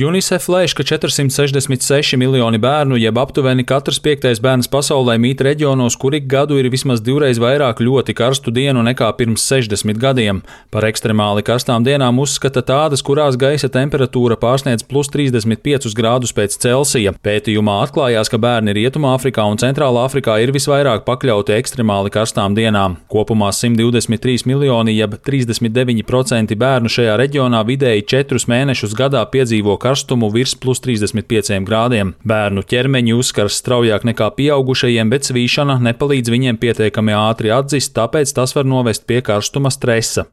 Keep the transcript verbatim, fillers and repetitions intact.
UNICEF lēš, ka četrsimt sešdesmit seši miljoni bērnu, jeb aptuveni katrs piektais bērns pasaulē mīt reģionos, kur ik gadu ir vismaz divreiz vairāk ļoti karstu dienu nekā pirms sešdesmit gadiem. Par ekstremāli karstām dienām uzskata tādas, kurās gaisa temperatūra pārsniedz plus trīsdesmit piecus grādus pēc Celsija. Pētījumā atklājās, ka bērni Rietumāfrikā un Centrālā Afrikā ir visvairāk pakļauti ekstremāli karstām dienām. Kopumā simt divdesmit trīs miljoni, jeb trīsdesmit deviņi procenti bērnu šajā reģionā vidēji četrus mēnešus gadā piedzīvo karstumu virs plus trīsdesmit pieciem grādiem. Bērnu ķermeņi uzskars straujāk nekā pieaugušajiem, bet svīšana nepalīdz viņiem pietiekami ātri atzist, tāpēc tas var novest pie karstuma stresa.